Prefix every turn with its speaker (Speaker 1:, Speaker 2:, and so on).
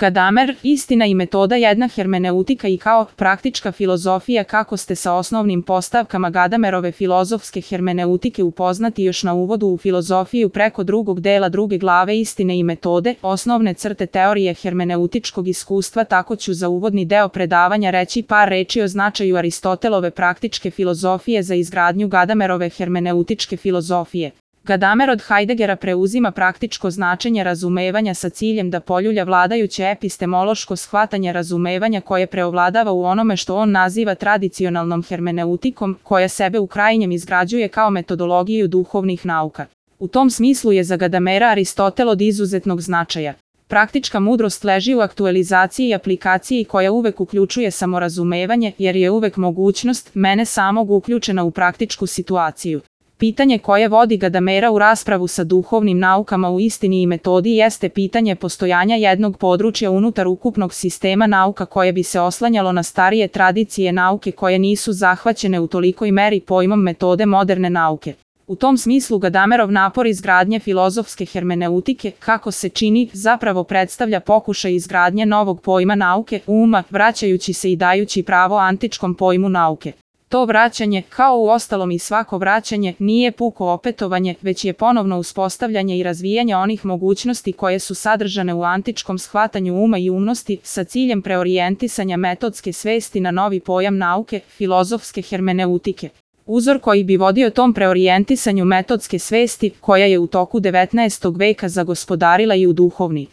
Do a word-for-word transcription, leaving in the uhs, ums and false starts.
Speaker 1: Gadamer, istina i metoda jedna hermeneutika i kao praktička filozofija. Kako ste sa osnovnim postavkama Gadamerove filozofske hermeneutike upoznati još na uvodu u filozofiju preko drugog dela druge glave istine i metode, osnovne crte teorije hermeneutičkog iskustva, tako ću za uvodni deo predavanja reći par reči o značaju Aristotelove praktičke filozofije za izgradnju Gadamerove hermeneutičke filozofije. Gadamer od Heideggera preuzima praktičko značenje razumevanja sa ciljem da poljulja vladajuće epistemološko shvatanje razumevanja koje preovladava u onome što on naziva tradicionalnom hermeneutikom, koja sebe u krajnjem izgrađuje kao metodologiju duhovnih nauka. U tom smislu je za Gadamera Aristotel od izuzetnog značaja. Praktička mudrost leži u aktualizaciji i aplikaciji koja uvek uključuje samorazumevanje, jer je uvek mogućnost mene samog uključena u praktičku situaciju. Pitanje koje vodi Gadamera u raspravu sa duhovnim naukama u istini i metodi jeste pitanje postojanja jednog područja unutar ukupnog sistema nauka koje bi se oslanjalo na starije tradicije nauke koje nisu zahvaćene u tolikoj meri pojmom metode moderne nauke. U tom smislu Gadamerov napor izgradnje filozofske hermeneutike, kako se čini, zapravo predstavlja pokušaj izgradnje novog pojma nauke, uma, vraćajući se i dajući pravo antičkom pojmu nauke. To vraćanje, kao u ostalom i svako vraćanje, nije puko opetovanje, već je ponovno uspostavljanje i razvijanje onih mogućnosti koje su sadržane u antičkom shvatanju uma i umnosti, sa ciljem preorijentisanja metodske svesti na novi pojam nauke, filozofske hermeneutike. Uzor koji bi vodio tom preorijentisanju metodske svesti, koja je u toku devetnaestog veka zagospodarila i u duhovni